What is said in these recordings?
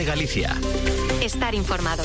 Galicia. Estar informado.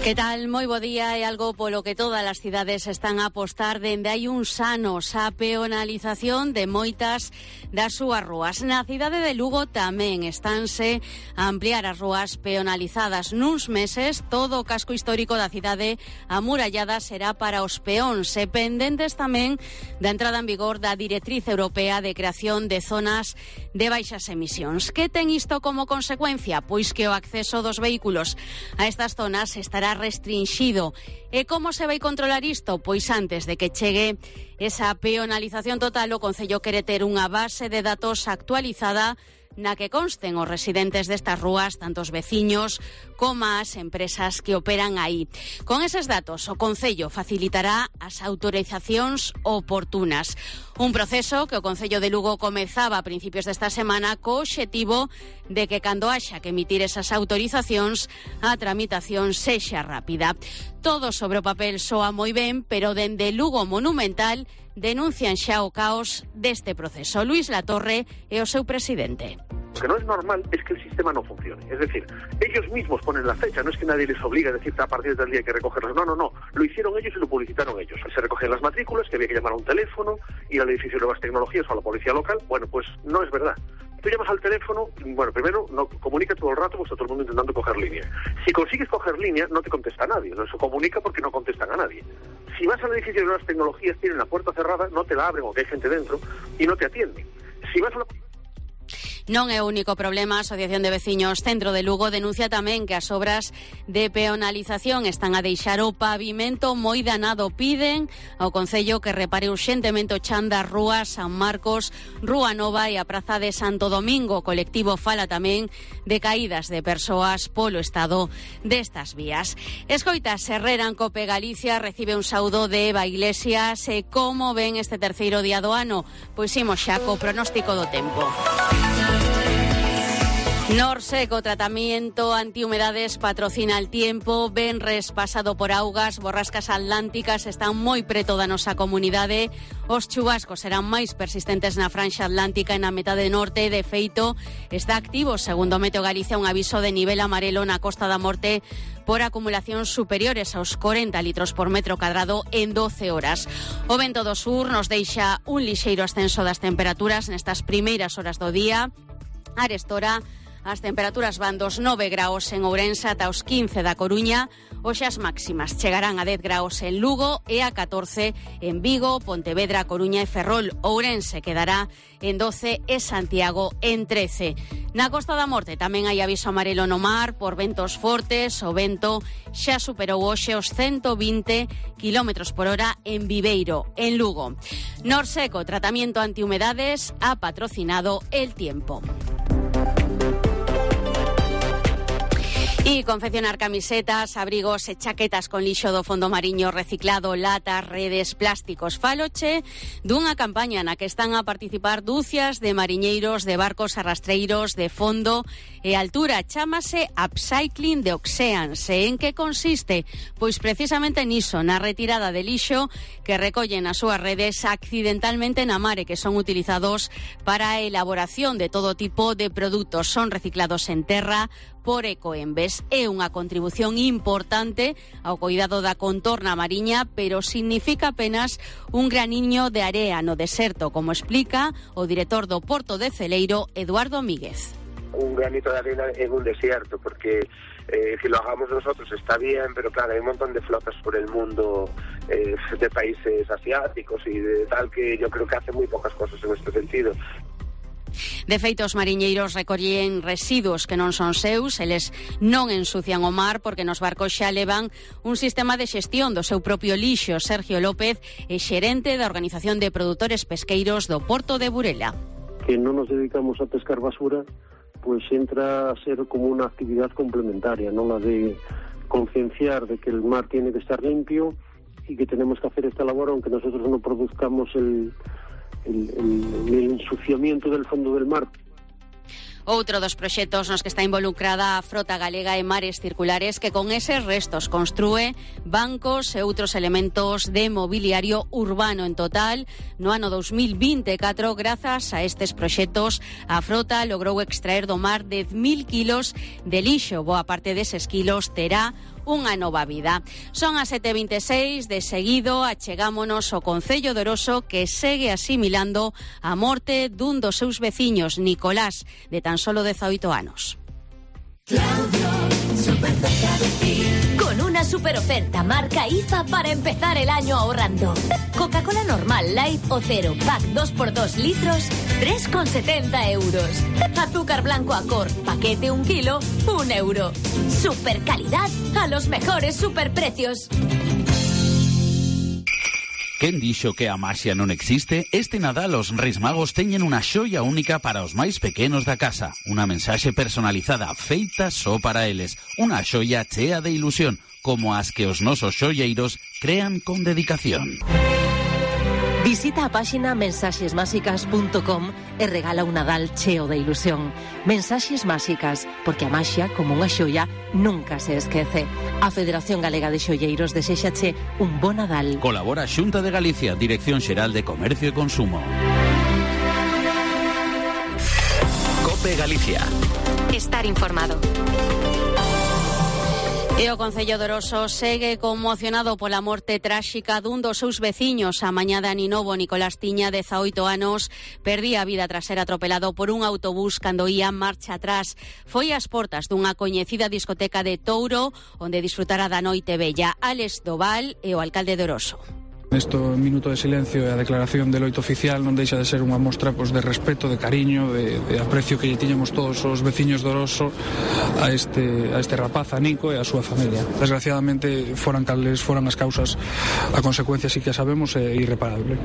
Que tal? Moi bo día. É algo polo que todas as cidades están a apostar dende hai uns anos, a peonalización de moitas das súas rúas. Na cidade de Lugo tamén estánse a ampliar as rúas peonalizadas. Nuns meses, todo o casco histórico da cidade amurallada será para os peóns e pendentes tamén da entrada en vigor da Directriz Europea de Creación de Zonas de Baixas Emisións. Que ten isto como consecuencia? Pois que o acceso dos vehículos a estas zonas estará restringido. E como se vai controlar isto? Pois antes de que chegue esa peonalización total, o Concello quere ter unha base de datos actualizada na que consten os residentes destas rúas, tanto os veciños como as empresas que operan aí. Con eses datos, o Concello facilitará as autorizacións oportunas. Un proceso que o Concello de Lugo comezaba a principios desta semana co obxectivo de que cando haxa que emitir esas autorizacións, a tramitación sexa rápida. Todo sobre o papel soa moi ben, pero dende Lugo Monumental denuncian xa o caos deste proceso. Luis Latorre é o seu presidente. Lo que no es normal es que el sistema no funcione. Es decir, ellos mismos ponen la fecha, no es que nadie les obliga a decir a partir del día hay que recogerlos. No. Lo hicieron ellos y lo publicitaron ellos. Se recogían las matrículas, que había que llamar a un teléfono, ir al edificio de Nuevas Tecnologías o a la policía local. Bueno, pues no es verdad. Tú llamas al teléfono, bueno, primero no comunica todo el rato, pues está todo el mundo intentando coger línea. Si consigues coger línea, no te contesta nadie. No se comunica porque no contestan a nadie. Si vas al edificio de Nuevas Tecnologías, tienen la puerta cerrada, no te la abren o que hay gente dentro y no te atienden. Si vas a la... Non é o único problema. A Asociación de Veciños Centro de Lugo denuncia tamén que as obras de peonalización están a deixar o pavimento moi danado. Piden ao Concello que repare urxentemente o chan das rúas San Marcos, Rúa Nova e a Praza de Santo Domingo. O colectivo fala tamén de caídas de persoas polo estado destas vías. Escoitas, Herrera en Cope Galicia recibe un saúdo de Eva Iglesias. E como ven este terceiro día do ano? Pois imos xa co pronóstico do tempo. Norseco, tratamiento antihumedades, patrocina el tiempo. Venres pasado por augas, borrascas atlánticas están moi preto da nosa comunidade. Os chubascos serán máis persistentes na franxa atlántica e na metade norte. De feito, está activo, segundo Meteo Galicia, un aviso de nivel amarelo na Costa da Morte por acumulacións superiores aos 40 litros por metro cadrado en 12 horas. O vento do sur nos deixa un lixeiro ascenso das temperaturas nestas primeiras horas do día. Arestora, as temperaturas van dos 9 graus en Ourense ata os 15 da Coruña. Hoxe as máximas chegarán a 10 graus en Lugo e a 14 en Vigo, Pontevedra, Coruña e Ferrol. Ourense quedará en 12 e Santiago en 13. Na Costa da Morte tamén hai aviso amarelo no mar por ventos fortes. O vento xa superou hoxe os 120 km por hora en Viveiro, en Lugo. Norseco, tratamiento antihumedades, ha patrocinado el tiempo. Y confeccionar camisetas, abrigos e chaquetas con lixo do fondo mariño reciclado, latas, redes, plásticos. Faloche dunha campaña na que están a participar dúcias de mariñeiros de barcos arrastreiros de fondo e altura. Chámase Upcycling de Oceans. E en que consiste? Pois precisamente niso, na retirada de lixo que recollen as súas redes accidentalmente na mare, que son utilizados para a elaboración de todo tipo de produtos. Son reciclados en terra por Ecoembes. É unha contribución importante ao cuidado da contorna mariña, pero significa apenas un graniño de area no deserto, como explica o director do Porto de Celeiro, Eduardo Míguez. Un granito de arena en un desierto, porque si lo hagamos nosotros está bien, pero claro, hay un montón de flotas por el mundo de países asiáticos y de tal, que yo creo que hacen muy pocas cosas en este sentido. De feito, os mariñeiros recollen residuos que non son seus, eles non ensucian o mar porque nos barcos xa levan un sistema de xestión do seu propio lixo. Sergio López é xerente da Organización de Produtores Pesqueiros do Porto de Burela. Que non nos dedicamos a pescar basura, pois entra a ser como unha actividad complementaria, non la de concienciar de que el mar tiene que estar limpio y que tenemos que hacer esta labor aunque nosotros no produzcamos el ensuciamiento del fondo del mar. Outro dos proxectos nos que está involucrada a frota galega e Mares Circulares, que con eses restos construe bancos e outros elementos de mobiliario urbano. En total, no ano 2024, grazas a estes proxectos, a frota logrou extraer do mar 10.000 kilos de lixo. Boa parte deses kilos terá unha nova vida. Son as 7:26, de seguido achegámonos ao Concello de Oroso, que segue asimilando a morte dun dos seus veciños, Nicolás, de tan solo 18 anos. Con una super oferta marca IFA para empezar el año ahorrando. Coca-Cola normal, light o cero, pack 2x2 litros, 3,70 euros. Azúcar blanco Acor, paquete 1 kilo, 1 euro. Super calidad a los mejores superprecios. Quen dixo que a maxia non existe? Este Nadal os Reis Magos teñen unha xoia única para os máis pequenos da casa. Unha mensaxe personalizada feita só para eles. Unha xoia chea de ilusión, como as que os nosos xoieiros crean con dedicación. Visita a páxina mensaxesmáxicas.com e regala un Nadal cheo de ilusión. Mensaxes máxicas, porque a maxia, como unha xoia, nunca se esquece. A Federación Galega de Xoieiros deséxache un bo Nadal. Colabora Xunta de Galicia, Dirección Xeral de Comercio e Consumo. COPE Galicia. Estar informado. E o Concello de Oroso segue conmocionado pola morte tráxica dun dos seus veciños. A mañá de Aninovo, Nicolás tiña 18 anos, perdía a vida tras ser atropelado por un autobús cando ía marcha atrás. Foi ás portas dunha coñecida discoteca de Touro, onde disfrutara da noite bella. Álex Doval e o alcalde de Oroso. Este minuto de silencio e a declaración de loito oficial non deixa de ser unha mostra de respeto, de cariño, de aprecio que lle tiñamos todos os veciños de Oroso a este rapaz, a Nico e a súa familia. Desgraciadamente, foran cales foran as causas, a consecuencia sí que a sabemos é irreparable.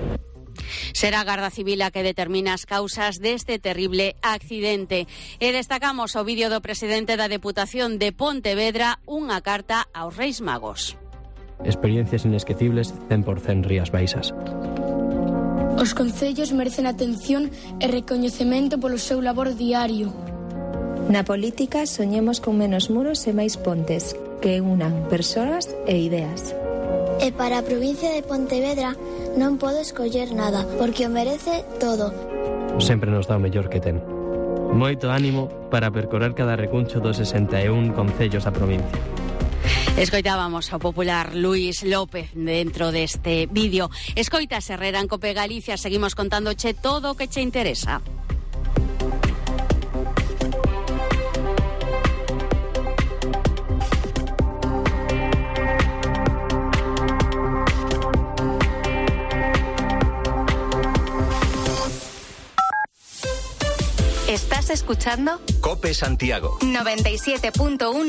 Será a Garda Civil a que determina as causas deste terrible accidente. E destacamos o vídeo do presidente da Deputación de Pontevedra, unha carta aos Reis Magos. Experiencias inesquecibles 100% Rías Baixas. Os concellos merecen atención e recoñecemento polo seu labor diario. Na política soñemos con menos muros e máis pontes que unan persoas e ideas. E para a provincia de Pontevedra non podo escoller nada, porque o merece todo. Sempre nos dá o mellor que ten. Moito ánimo para percorrer cada recuncho dos 61 concellos da provincia. Escoitábamos ao popular Luís López dentro deste vídeo. Escoitas Herrera en COPE Galicia, seguimos contándoche todo o que che interesa. ¿Estás escuchando? COPE Santiago 97.1